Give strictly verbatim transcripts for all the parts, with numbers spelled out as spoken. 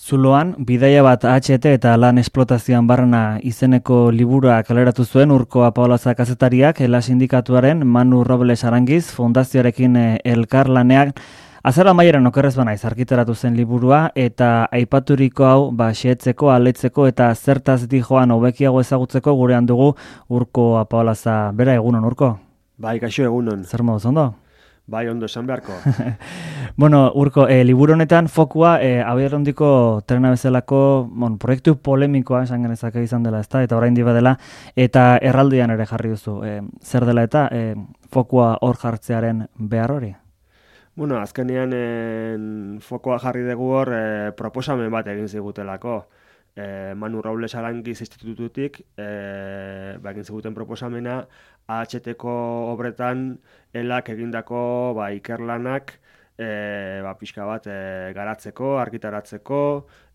Zuloan, bidaia bat A H T eta lan esplotazioan barrena izeneko liburua kaleratu zuen Urko Apaolaza kazetariak, Ela sindikatuaren Manu Robles Arangiz fundazioarekin elkarlanean azara maieran okerrez banaiz argitaratu zen liburua, eta aipaturiko hau ba xehetzeko, aletzeko eta zertaz dijoan hobekiago ezagutzeko gurean dugu Urko Apaolaza. Bera, egunon, Urko? Bai, kaixo, egunon. Zer moduz, ondo? Bai, ondo, esan beharko. Bueno, Urko, e, liburu honetan fokua e, abiarrondiko trena bezalako bon, proiektu polemikoa esan genezake izan dela, ezta? Eta orain diba dela, eta erraldian ere jarri duzu. E, zer dela eta e, fokua hor jartzearen behar hori? Bueno, azkenean en, fokoa jarri dugu hor e, proposamen bat egin zigutelako. E, Manu Robles Arangiz institututik e, ba, egin ziguten proposamena A H T-ko obretan elak egindako ba, ikerlanak e, ba, pixka bat e, garatzeko, argitaratzeko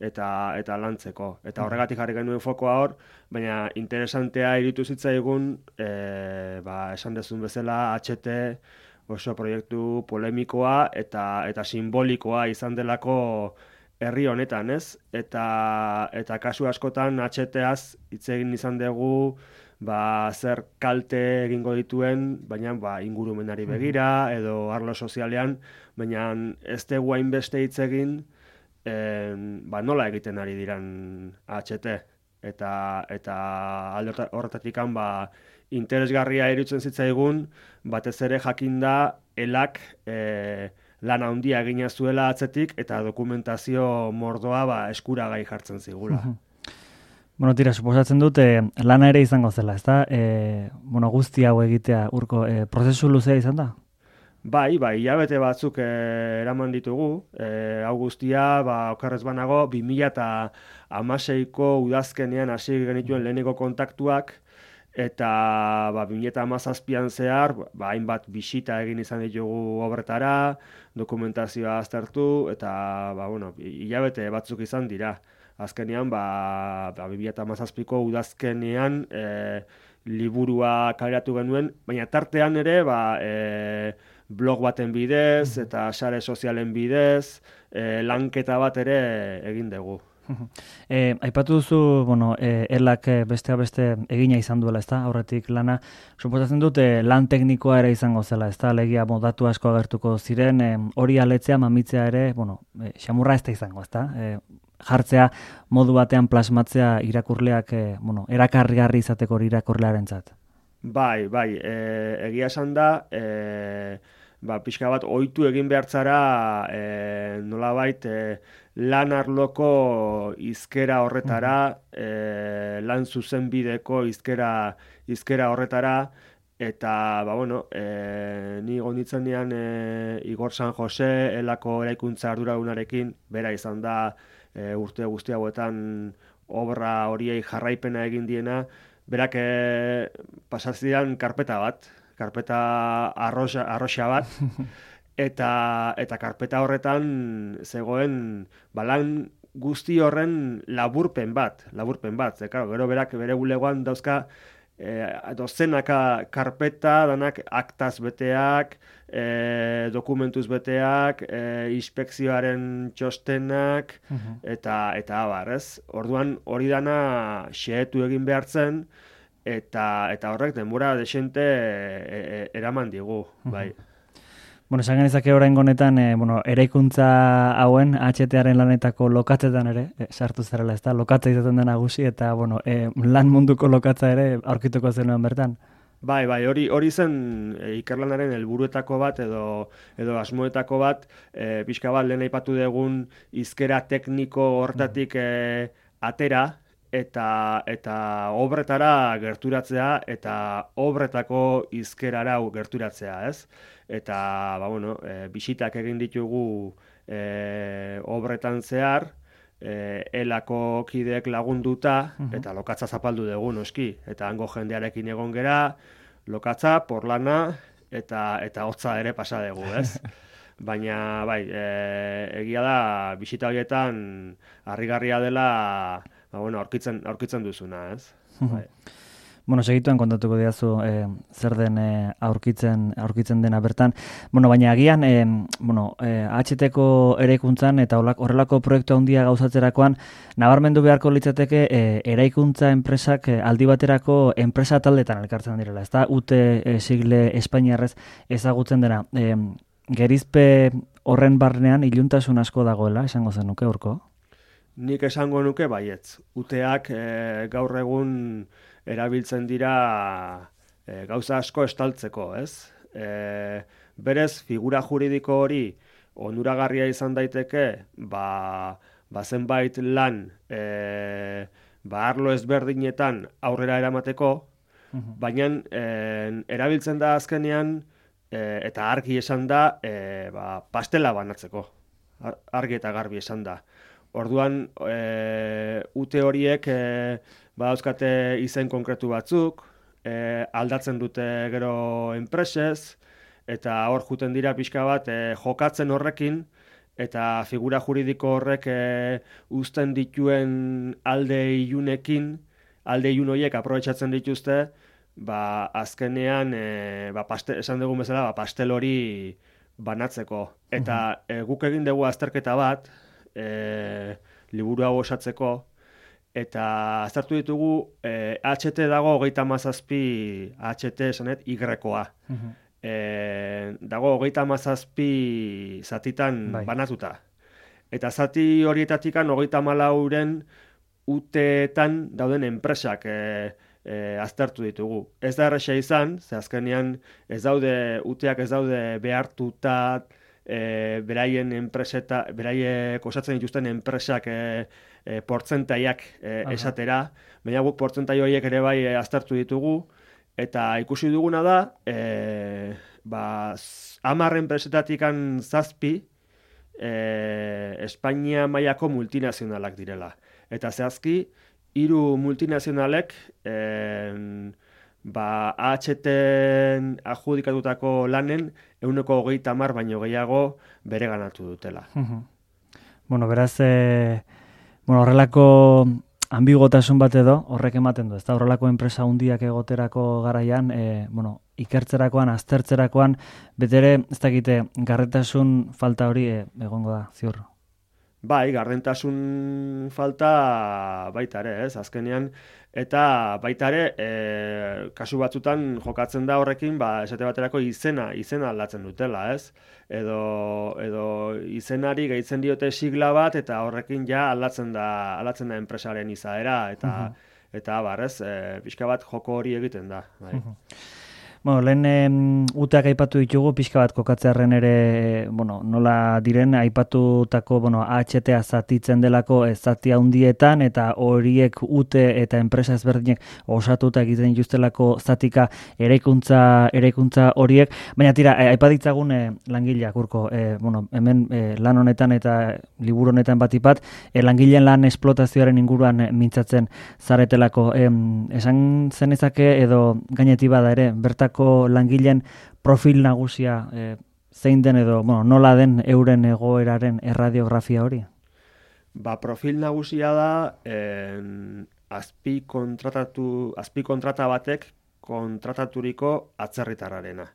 eta eta lantzeko. Eta horregatik jarri genuen fokoa hor, baina interesantea iritu zitzaigun e, ba, esan dezun bezala H T oso proiektu polemikoa eta eta simbolikoa izan delako herri honetan, ez? Eta eta kasu askotan H T-az hitz egin izan dugu ba, zer kalte egingo dituen, baina ba, ingurumenari begira edo arlo sozialean, baina ez dugu hainbeste hitz egin en, ba, nola egiten ari diran H T. Eta, eta alde horretatik ba, interesgarria iruditzen zitzaigun, batez ere jakinda elak e, lan handia egina zuela atzetik eta dokumentazio mordoa ba, eskuragai jartzen zigula. Bueno, tira, suposatzen dut, eh, lana ere izango zela, ezta? Eh, bueno, guzti hau egitea, Urko, eh, prozesu luzea izan da? Bai, bai, hilabete batzuk eh, eraman ditugu. Eh, hau guztia, ba, okerrez banago, bi mila hamaseiko udazkenean hasi genituen leheneko kontaktuak, eta ba, bi mila hamazazpian zehar, ba, hainbat bisita egin izan ditugu obretara, dokumentazioa aztertu, eta ba, bueno, hilabete batzuk izan dira. Azkenean, ba, ba, bi mila hamazazpiko udazkenean e, liburua kaleratu genuen, baina tartean ere ba, e, blog baten bidez eta sare sozialen bidez e, lanketa bat ere egin dugu. E, aipatu duzu, bueno, e, elak bestea beste egina izan duela, ezta? Aurretik lana, suposatzen dut e, lan teknikoa ere izango zela, ezta? Legia modatu asko agertuko ziren, e, hori aletzea, mamitzea ere, bueno, e, xamurra ez da izango, ezta? E, jartzea modu batean plasmatzea irakurleak, e, bueno, erakargarri izateko irakurlearentzat. Bai, bai, e, egia esan da, e, ba, pixka bat ohitu egin behartzara e, nolabait e, lan arloko hizkera horretara, e, lan zuzenbideko hizkera hizkera horretara, eta ba, bueno, e, ni gonditzenean e, Igor San Jose elako eraikuntza arduradunarekin bera izan da e, urte guzti hauetan obra horiei jarraipena egin diena, berak e, pasazidan karpeta bat, karpeta arroxa, arroxa bat, eta eta karpeta horretan zegoen balan guzti horren laburpen bat, laburpen bat. Ze, claro, gero berak bere bulegoan dauzka e, dozenaka karpeta, danak aktaz beteak, e, dokumentuz beteak, e, inspekzioaren txostenak, eta eta abar, ez? Orduan hori dana xehetu egin behartzen, eta eta horrek denbora desente e, e, eraman digu, bai. Bueno, esan genezake orain honetan, e, bueno, eraikuntza hauen H T-aren lanetako lokatzetan ere, e, sartu zarela, ezta? Lokatza izaten da nagusi, eta bueno, e, lan munduko lokatza ere aurkituko zenuen bertan. Bai, bai, hori hori zen e, ikerlanaren helburuetako bat edo edo asmoetako bat, e, pixka bat lehen aipatu dugun hizkera tekniko hortatik e, atera, eta eta obretara gerturatzea eta obretako hizkerara gerturatzea, ez? Eta ba bueno, e, bisitak egin ditugu e, obretan zehar, e, elako kideek lagunduta eta lokatza zapaldu dugu noski, eta hango jendearekin egon gera, lokatza, porlana eta eta hotza ere pasa dugu, ez? Baina bai, e, egia da bisita horietan harrigarria dela, ba bueno, aurkitzen aurkitzen duzuna, ez? Bai. Bueno, segituen kontatuko diazu e, zer den e, aurkitzen aurkitzen dena bertan. Bueno, baina agian e, bueno, e, H T-ko eraikuntzan eta horrelako proiektu handia gauzatzerakoan nabarmendu beharko litzateke e, eraikuntza enpresak e, aldi baterako enpresa taldetan elkartzen direla. Ezta U T e, sigle espainiarrez ezagutzen dena. E, gerizpe horren barnean iluntasun asko dagoela, esango zenuke Urko? Nik esango nuke baietz. U T-ak e, gaur egun erabiltzen dira e, gauza asko estaltzeko, ez? E, berez, figura juridiko hori onuragarria izan daiteke, ba, ba zenbait lan e, ba arlo ezberdinetan aurrera eramateko, uh-huh. baina e, erabiltzen da azkenean, e, eta argi esan da, e, ba, pastela banatzeko. Argi eta garbi esan da. Orduan, e, U T horiek e, badauzkate izen konkretu batzuk, e, aldatzen dute gero enpresez, eta hor juten dira pixka bat e, jokatzen horrekin, eta figura juridiko horrek e, uzten dituen alde ilunekin, alde ilun horiek aprobetxatzen dituzte, ba, azkenean, e, ba, pastel, esan dugun bezala, ba, pastel hori banatzeko. Eta e, guk egin dugu azterketa bat, e, liburu hau osatzeko, eta aztertu ditugu eh, H T dago hogeita hamazazpi H T esanet Y-koa. Uh-huh. eh, dago hogeita hamazazpi zatitan bai. Banatuta. Eta zati horietatikan hogeita hamalauren U T-etan dauden enpresak eh, eh, aztertu ditugu. Ez da erresa izan, ze azkenean ez daude U T-ak ez daude behartuta E, beraien enpreseta, beraiek osatzen dituzten enpresak e, e, portzentaiak e, esatera, baina guk portzentai horiek ere bai e, aztertu ditugu, eta ikusi duguna da, e, ba, hamar enpresetatikan zazpi e, Espainia mailako multinazionalak direla. Eta zehazki, hiru multinazionalek e, ba, H T-en adjudikatutako lanen ehuneko hogeita hamar baino gehiago bere ganatu dutela. Bueno, beraz, e, bueno, horrelako ambigotasun bat edo horrek ematen du, ez da horrelako enpresa hundiak egoterako garaian, e, bueno, ikertzerakoan, aztertzerakoan, betere, ez dakite, garretasun falta hori e, egongo da, ziur. Bai, gardentasun falta baita ere, ez, azkenean, eta baita ere, e, kasu batzutan jokatzen da horrekin, ba, esate baterako izena, izena aldatzen dutela, ez? Edo, edo izenari gehitzen diote sigla bat, eta horrekin ja aldatzen da, aldatzen da enpresaren izaera, eta, uh-huh. eta barrez, e, pixka bat joko hori egiten da. Bai. Uh-huh. Bueno, lehen em, U T-ak aipatu ditugu, pixka bat kokatzearren ere, bueno, nola diren, aipatutako, bueno, H T-a zatitzen delako zati handietan, eta horiek U T eta enpresa ezberdinek osatuta egiten dituztelako zatika eraikuntza eraikuntza horiek, baina tira, aipaditzagun e, langileak urko, e, bueno, hemen e, lan honetan eta liburu honetan batipat, e, langileen lan esplotazioaren inguruan e, mintzatzen zaretelako. E, esan zenezake edo gaineti bada ere, bertako langileen profil nagusia e, zein den edo, bueno, nola den euren egoeraren erradiografia hori? Ba, profil nagusia da en, azpi kontratatu, azpi kontrata batek kontrataturiko atzerritarrarena.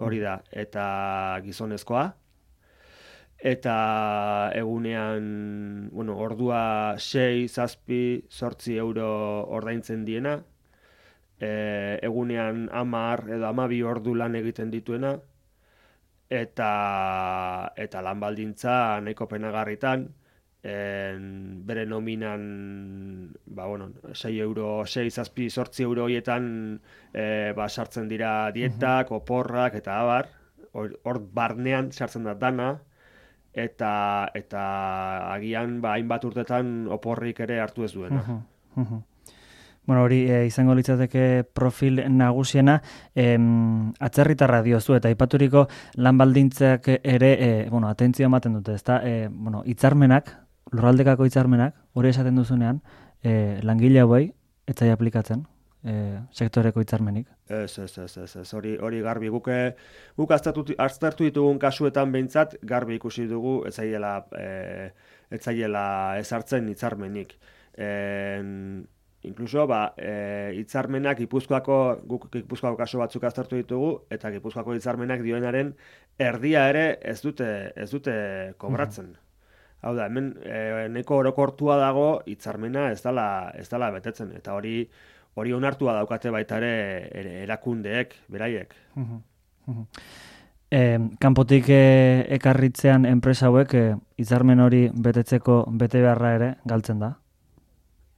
Hori da, eta gizonezkoa, eta egunean, bueno, ordua sei, zazpi, zortzi euro ordaintzen diena, E, egunean hamar edo hamabi ordu lan egiten dituena, eta, eta lan baldintza nahiko penagarritan, en, bere nominan ba, bueno, sei euro, sei zazpi, zortzi euro horietan e, ba, sartzen dira dietak, uh-huh. oporrak, eta abar, hor barnean sartzen da dana, eta, eta agian ba, hainbat urtetan oporrik ere hartu ez duena. Uh-huh. Uh-huh. Bueno, hori e, izango litzateke profil nagusiena, em, atzerritarra diozu eta aipaturiko lan baldintzak ere, e, bueno, atentzio ematen dute, ezta? E, bueno, hitzarmenak, lurraldekako hitzarmenak, hori esaten duzunean, e, langile hauei ez zaie aplikatzen, e, sektoreko hitzarmenik. Ez, ez, ez, ez, ez, hori, hori garbi guke, guk aztertu ditugun kasuetan behintzat, garbi ikusi dugu, ez zaiela, e, ez zaiela ezartzen hitzarmenik. En, inkluso, ba, e, hitzarmenak Gipuzkoako, guk Gipuzkoako kasu batzuk aztertu ditugu, eta Gipuzkoako hitzarmenak dioenaren erdia ere ez dute, ez dute kobratzen. Hau da, hemen e, neko orokortua dago hitzarmena ez dala, ez dala betetzen, eta hori hori onartua daukate baita ere erakundeek, beraiek. E, kanpotik e, ekarritzean enpresa hauek e, hitzarmen hori betetzeko bete beharra ere galtzen da,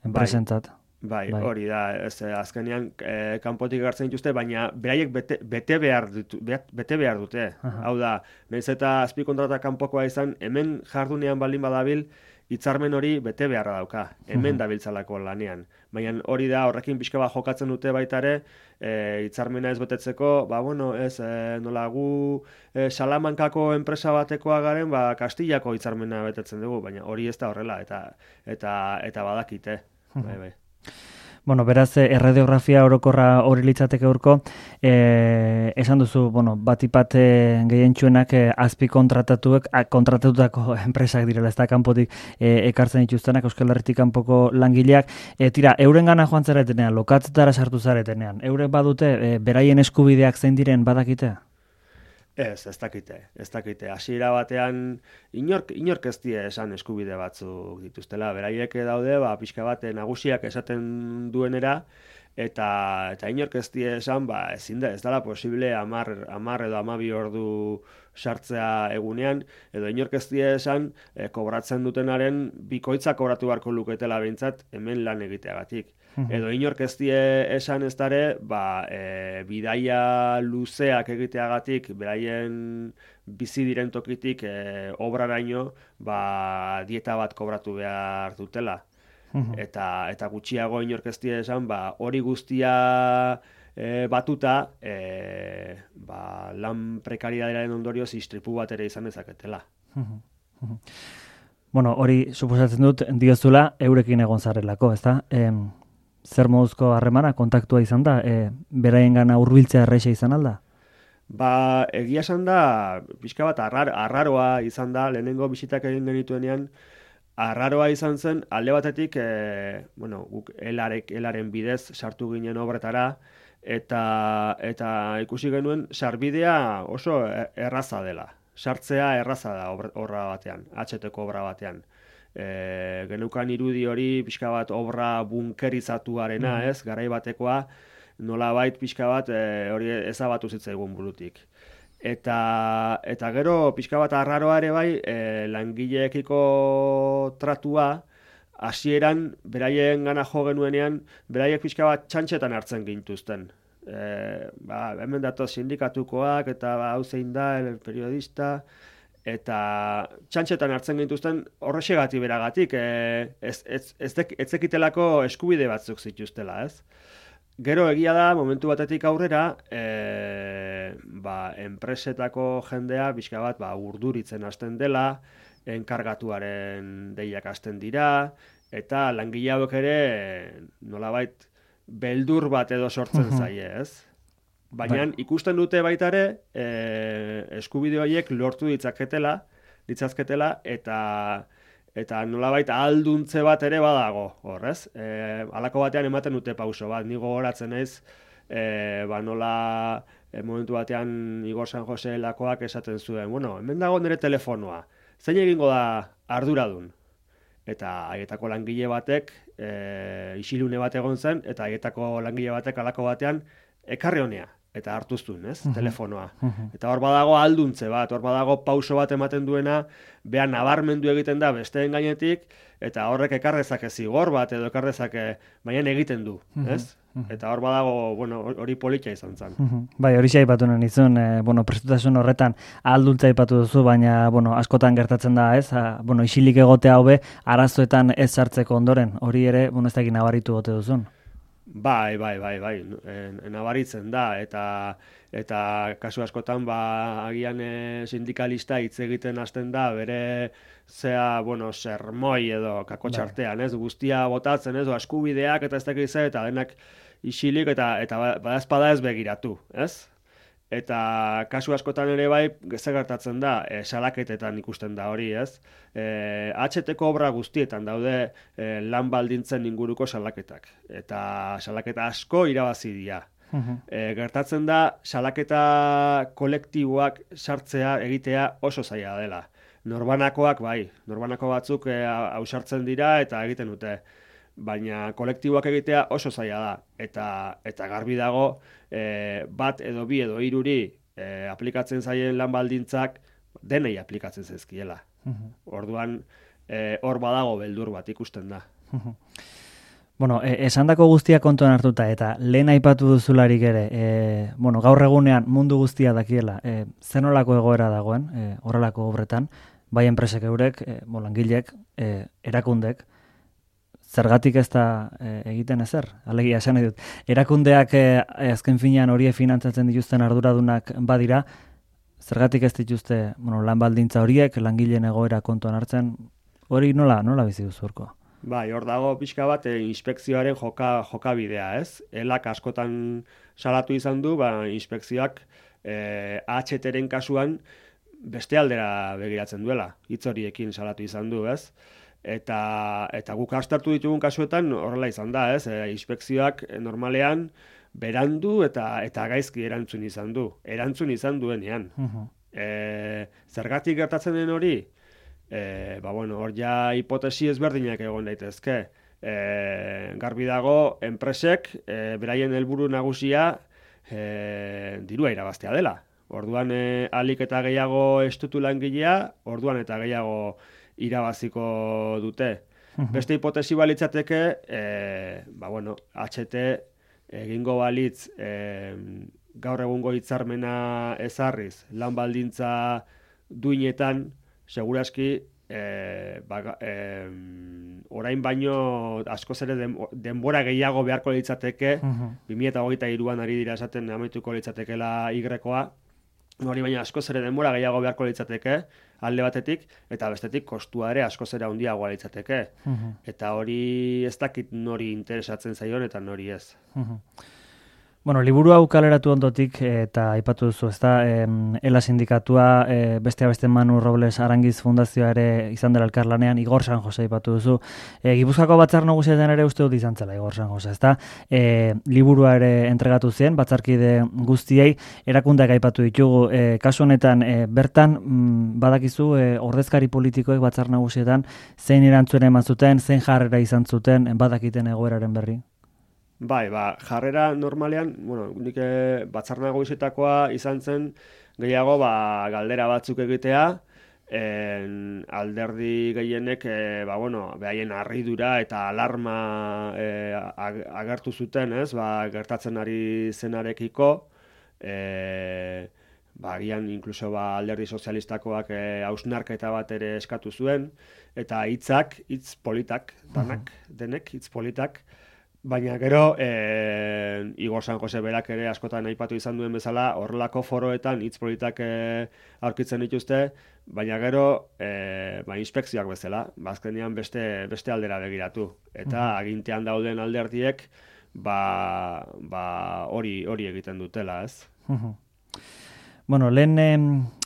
enpresentzat. Bai, bai, hori da, ez, azkenean e, kanpotik ekartzen dituzte, baina beraiek bete, bete, behar, ditu, bete behar dute. Aha. Hau da, nahiz eta azpikontrata kanpokoa izan, hemen jardunean baldin badabil, hitzarmen hori bete beharra dauka, hemen dabiltzalako lanean. Baina hori da, horrekin pixka bat jokatzen dute baita ere, e, hitzarmena ez betetzeko, ba, bueno, ez, e, nola gu e, Salamankako enpresa batekoa garen, ba, Kastillako hitzarmena betetzen dugu, baina hori ez da horrela, eta eta eta badakite, bai, bai. Bueno, beraz, erradiografia orokorra hori litzateke urko, e, esan duzu, bueno, batipat gehientsuenak e, azpi kontratatuek, kontratatutako enpresak direla, ez da kanpotik e, ekartzen dituztenak, Euskal Herritik kanpoko langileak, e, tira, euren gana joan zaretenean, lokatzetara sartu zaretenean, eurek badute, e, beraien eskubideak zein diren badakite? Ez, ez dakite, ez dakite. Hasiera batean inork, inork ez die esan eskubide batzuk dituztela. Beraiek daude, ba, pixka bat nagusiak esaten duenera, eta eta inork ez die esan, ba, ezin da, ez dela posible hamar edo hamabi ordu sartzea egunean, edo inork ez die esan, e, kobratzen dutenaren bikoitza kobratu beharko luketela behintzat hemen lan egiteagatik. Edo inork ez die esan ez dare, ba, e, bidaia luzeak egiteagatik, beraien bizi diren tokitik e, obraraino, ba, dieta bat kobratu behar dutela. Eta, eta gutxiago inork ez die esan, ba, hori guztia e, batuta, e, ba, lan prekaridadearen ondorioz istripu bat ere izan dezaketela. Bueno, hori suposatzen dut diozula eurekin egon zarelako, ezta? Em... Zer moduzko harremana, kontaktua izan da, e, beraien gana hurbiltzea erreixa izan alda? Ba, egia esan da, pixka bat arrar, arraroa izan da, lehenengo bisitak egin genituenean, arraroa izan zen, alde batetik, e, bueno, guk elarek, elaren bidez sartu ginen obretara, eta, eta ikusi genuen, sarbidea oso erraza dela. Sartzea erraza da obra batean, H T-ko obra batean. E, genukan irudi hori pixka bat obra bunkerizatuarena, ez, garai batekoa, nolabait pixka bat e, hori ezabatu zitzaigun burutik. Eta, eta gero pixka bat arraroa ere bai, e, langileekiko tratua, hasieran beraien gana jo genuenean, beraiek pixka bat txantxetan hartzen gintuzten. E, ba, hemen datoz sindikatukoak, eta ba, hau zein da, el periodista, eta txantxetan hartzen gintuzten horrexegati beragatik, e, ez, ez, ez, dek, ez zekitelako eskubide batzuk zituztela, ez? Gero egia da, momentu batetik aurrera, e, ba, enpresetako jendea, bizka bat, ba, urduritzen hasten dela, enkargatuaren deiak hasten dira, eta langile hauek ere, nolabait, beldur bat edo sortzen zaie, ez? Baina ikusten dute baita ere, e, eskubide horiek lortu ditzaketela, ditzazketela, eta eta nolabait ahalduntze bat ere badago, horrez. E, halako batean ematen dute pauso bat, ni gogoratzen naiz, e, ba nola e, momentu batean Igor San Jose lakoak esaten zuen, bueno, hemen dago nire telefonoa, zein egingo da arduradun? Eta haietako langile batek, e, isilune bat egon zen, eta haietako langile batek halako batean, ekarri honea. Eta hartuztun, ez, uh-huh. telefonoa. Uh-huh. Eta hor badago alduntze bat, hor badago pauso bat ematen duena, behan nabarmendu egiten da besteen gainetik, eta horrek ekarrezake zigor bat edo ekarrezake, baina egiten du, uh-huh. ez? Uh-huh. Eta hor badago, bueno, hori politia izan zen. Uh-huh. Bai, hori aipatu nahi nizun, eh, bueno, prestutasun horretan alduntza aipatu duzu, baina, bueno, askotan gertatzen da, ez? A, bueno, isilik egotea hobe, arazoetan ez sartzeko ondoren, hori ere, bueno, ez da egin nabaritu gote duzun. Bai, bai, bai, bai, nabaritzen da, eta eta kasu askotan, ba, agian e, sindikalista hitz egiten hasten da, bere zea, bueno, sermoi edo kakotxartean, ez, guztia botatzen, ez, eskubideak eta ez dakiz eta denak isilik eta eta badazpada ez begiratu, ez? Eta kasu askotan ere bai, zer gertatzen da, e, salaketetan ikusten da hori, ez? E, H T-ko obra guztietan daude e, lan baldintzen inguruko salaketak. Eta salaketa asko irabazi dira. E, gertatzen da, salaketa kolektiboak sartzea, egitea oso zaila dela. Norbanakoak bai, norbanako batzuk e, ausartzen dira eta egiten dute. Baina kolektiboak egitea oso zaila da. Eta, eta garbi dago, e, bat edo bi edo hiruri e, aplikatzen zaien lan baldintzak denei aplikatzen zaizkiela. Orduan, e, hor badago beldur bat ikusten da. Bueno, e, esandako guztia kontuan hartuta, eta lehen aipatu duzularik ere, e, bueno, gaur egunean mundu guztia dakiela, e, zenolako egoera dagoen, e, horrelako obretan, bai enpresek eurek, e, bo, langilek, e, erakundek, zergatik ez da e, egiten ezer, alegia esan edut. Erakundeak e, azken finean horiek finantzatzen dituzten arduradunak badira, zergatik ez dituzte bueno, lan baldintza horiek, langileen egoera kontuan hartzen, hori nola, nola bizi duzu Urko? Bai, hor dago pixka bat e, inspekzioaren joka, jokabidea, ez? Elak askotan salatu izan du, ba, inspekzioak e, H T-ren kasuan beste aldera begiratzen duela, hitz horiekin salatu izan du, ez? Eta, eta guk astartu ditugun kasuetan horrela izan da, ez? E, inspekzioak normalean berandu eta eta gaizki erantzun izan du. Erantzun izan duenean. Uh-huh. E, zergatik gertatzen den hori? E, ba, bueno, hor ja hipotesi ezberdinak egon daitezke. E, garbi dago, enpresek, e, beraien helburu nagusia e, dirua irabaztea dela. Orduan e, alik eta gehiago estutu langilea, orduan eta gehiago irabaziko dute. Uh-huh. Beste hipotesi balitzateke, e, ba, bueno, H T egingo balitz e, gaur egungo hitzarmena ezarriz, lan baldintza duinetan, seguraski e, ba, e, orain baino askoz ere den, denbora gehiago beharko litzateke, uh-huh. bi mila hogeita hiruan ari dira esaten amaituko litzatekela Y-koa, hori baina askoz ere denbora gehiago beharko litzateke, alde batetik, eta bestetik kostua ere askoz ere handiagoa litzateke. Uh-huh. Eta hori ez dakit nori interesatzen zaion eta nori ez. Uh-huh. Bueno, liburu hau kaleratu ondotik eta aipatu duzu, ezta, eh, Ela sindikatua, eh, bestea beste Manu Robles Arangiz fundazioa ere izan dela elkarlanean, Igor San Jose aipatu duzu. Eh, Gipuzkoako batzar nagusietan ere uste dut izan zela Igor San Jose, ezta? Eh, liburua ere entregatu zen batzarkide guztiei, erakundeak aipatu ditugu. Eh, kasu honetan eh, bertan mm, badakizu eh, ordezkari politikoek batzar nagusietan zein erantzun eman zuten, zein jarrera izan zuten, badakiten egoeraren berri. Bai, ba, jarrera normalean, bueno, nik batzar nagusietakoa izan zen gehiago ba, galdera batzuk egitea, en, alderdi gehienek e, ba, bueno, behaien harridura eta alarma e, agertu zuten, ez, ba, gertatzen ari zenarekiko, e, ba, gian inkluso ba, alderdi sozialistakoak e, hausnarketa bat ere eskatu zuen, eta hitzak, hitz politak, danak, denek, hitz politak, baina gero, e, Igor San Jose berak ere askotan aipatu izan duen bezala, horrelako foroetan hitz politak e, aurkitzen dituzte, baina gero, e, ba, inspekzioak bezala, bazkenean beste, beste aldera begiratu. Eta agintean dauden alderdiek, ba, ba, hori, hori egiten dutela, ez? Bueno, lehen eh,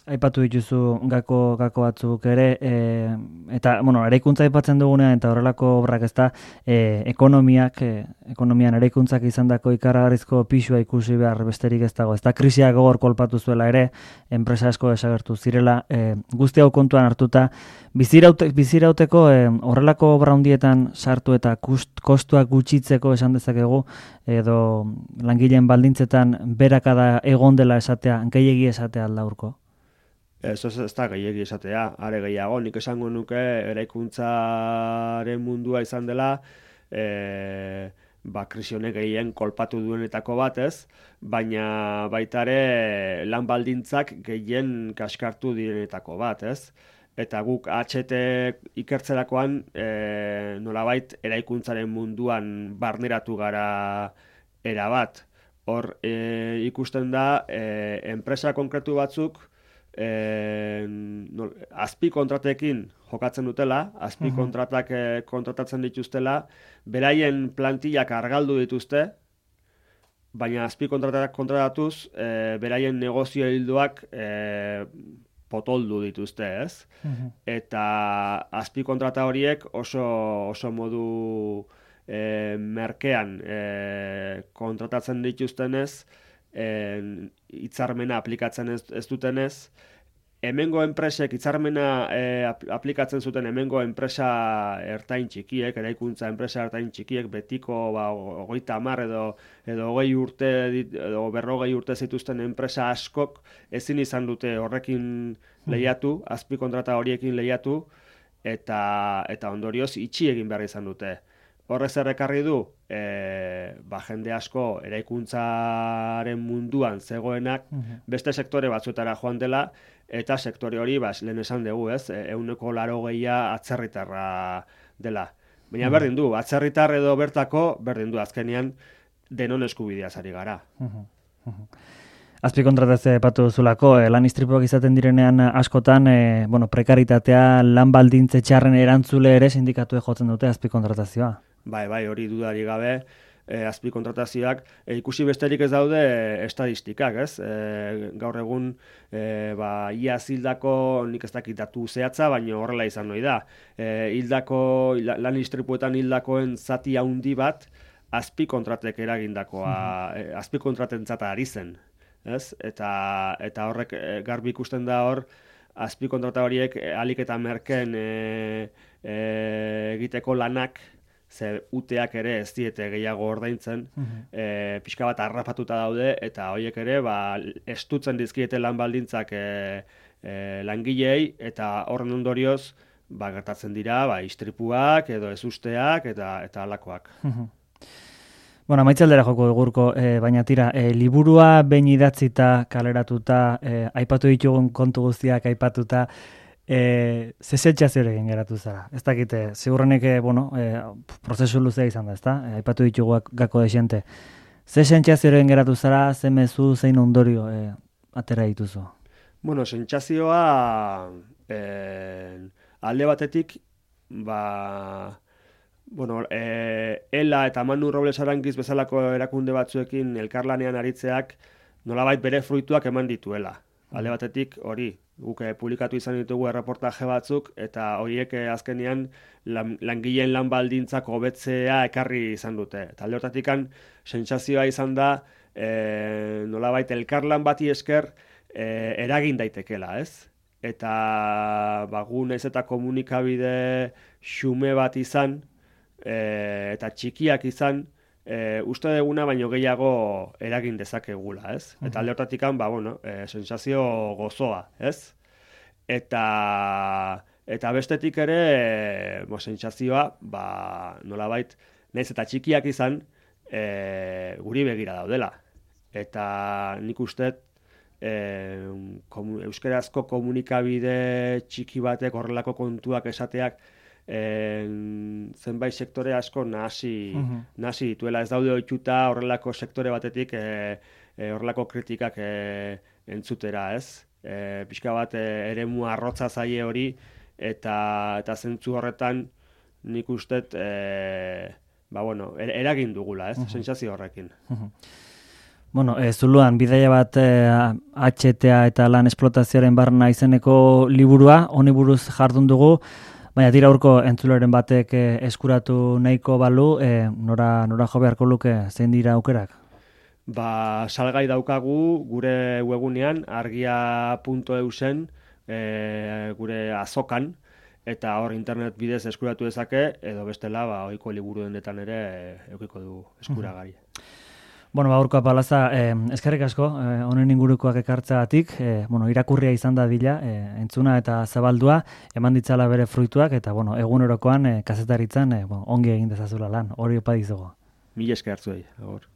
aipatu dituzu gako, gako batzuk ere, eh, eta, bueno, eraikuntza aipatzen dugunean, eta horrelako obrak ez da, eh, ekonomiak, eh, ekonomian eraikuntzak izandako ikaragarrizko pisua ikusi behar besterik ez dago. Ez da, krisiak gogor kolpatu zuela ere, enpresa asko desagertu zirela, eh, guzti hau kontuan hartuta, biziraute, bizirauteko eh, horrelako obra handietan sartu eta kust, kostuak gutxitzeko esan dezakegu, edo langileen baldintzetan berakada egon dela esatea, gehiegi esatea alda Urko? Ez, ez, ez da gehiegi esatea, are gehiago, nik esango nuke eraikuntzaren mundua izan dela, e, ba, krisionek gehien kolpatu duenetako bat ez, baina baitare lan baldintzak gehien kaskartu direnetako bat ez. Eta guk H T ikertzerakoan e, nolabait eraikuntzaren munduan barneratu gara erabat. Hor e, ikusten da e, enpresa konkretu batzuk e, no, azpi kontratekin jokatzen dutela, azpi kontratak e, kontratatzen dituztela, beraien plantillak argaldu dituzte, baina azpikontratak kontratatuz, e, beraien negozio hildoak e, potoldu dituzte, ez? Mhm. Eta azpikontrata horiek oso, oso modu e, merkean e, kontratatzen dituztenez, e, hitzarmena aplikatzen ez, ez dutenez, hemengo enpresek hitzarmena e, aplikatzen zuten hemengo enpresa ertain txikiek, eraikuntza enpresa ertain txikiek, betiko ba, hogeita hamar edo, edo hogei urte edo berrogei urte zituzten enpresa askok ezin izan dute horrekin lehiatu, azpikontrata horiekin lehiatu, eta, eta ondorioz itxi egin behar izan dute. Horrez errekarri du, e, ba, jende asko eraikuntzaren munduan zegoenak beste sektore batzuetara joan dela, eta sektore hori, ba, lehen esan dugu, ez, ehuneko laro gehia atzerritarra dela. Baina berdin du, atzerritar edo bertako, berdin du, azkenean denon eskubidea ari gara. Azpikontratazioa aipatu zulako, eh, lan istripuak izaten direnean askotan, eh, bueno, prekaritatea, lan baldintze txarren erantzule ere sindikatuek jotzen dute azpikontratazioa. Bai, bai, hori dudari gabe, e, azpikontratazioak, e, ikusi besterik ez daude e, estadistikak, ez? E, gaur egun, e, ba, iaz hildako, nik ez dakit datu zehatza, baina horrela izan noi da. E, hildako, lan istripuetan hildakoen zati handi bat, azpikontratek eragindakoa, e, azpikontratentzat ari zen, ez? Eta, eta horrek e, garbi ikusten da hor, azpikontrata horiek e, alik eta merken e, e, egiteko lanak, ze uteak ere ez diete gehiago ordaintzen, e, pixka bat harrapatuta daude, eta horiek ere ba, estutzen dizkiete lan baldintzak e, e, langilei, eta horren ondorioz ba, gertatzen dira ba, istripuak edo ezusteak eta eta halakoak. Bueno, amaitzaldera joko egurko, e, baina tira, e, liburua behin idatzita, kaleratuta, e, aipatu ditugun kontu guztiak aipatuta, E, ze sentsazioarekin geratu zara? Ez dakite, ziurrenek, bueno, e, prozesu luzea izan da, ezta? E, aipatu ditugu gako desente. Ze sentsazioarekin geratu zara, ze mezu, zein ondorio e, atera dituzu? Bueno, sentsazioa e, alde batetik, ba, bueno, e, Ela eta Manu Robles Arangiz bezalako erakunde batzuekin elkarlanean aritzeak nolabait bere fruituak eman dituela. Alde batetik hori, guk publikatu izan ditugu erreportaje batzuk, eta horiek azkenean lan, langileen lan baldintzak hobetzea ekarri izan dute. Eta alde hortatik sentsazioa izan da, e, nolabait elkarlan bati esker e, eragin daitekela, ez? Eta ba, gu naiz eta komunikabide xume bat izan, e, eta txikiak izan, E, uste duguna baino gehiago eragin dezakegula, ez? Eta alde hortatik ba, bueno, e, sensazio gozoa, ez? Eta, eta bestetik ere, e, bo, sentsazioa, ba, nolabait, naiz eta txikiak izan, e, guri begira daudela. Eta nik uste, e, komu, euskerazko komunikabide txiki batek horrelako kontuak esateak, En, zenbait sektore asko nahasi, uh-huh. nahasi dituela, ez daude ohituta horrelako sektore batetik e, e, horrelako kritikak e, entzutera, ez? E, pixka bat e, eremu arrotza zaie hori, eta eta zentzu horretan nik ustet e, ba, bueno, er, eragin dugula, ez? Uh-huh. Sentsazio horrekin. Uh-huh. Bueno, e, zuluan, bidaia bat e, H T A eta lan esplotazioaren barna izeneko liburua, honi buruz jardun dugu, baina tira urko entzuleren batek e, eskuratu nahiko balu, e, nora, nora jo beharko luke, zein dira aukerak? Ba, salgai daukagu gure webunean, argia puntu eu zen, e, gure azokan, eta hor internet bidez eskuratu dezake, edo bestela, ba, ohiko liburu denetan ere e, eukiko du eskuragai. Bueno, ba, Urko Apalaza, eh, eskerrik asko, eh, honen ingurukoak ekartzeagatik, eh, bueno, irakurria izan da dila, eh, entzuna eta zabaldua, eman ditzala bere fruituak, eta bueno, egunerokoan eh, kazetaritzan eh, bueno, ongi egin dezazula lan, hori opa dizugu. Mila esker zuei, agor.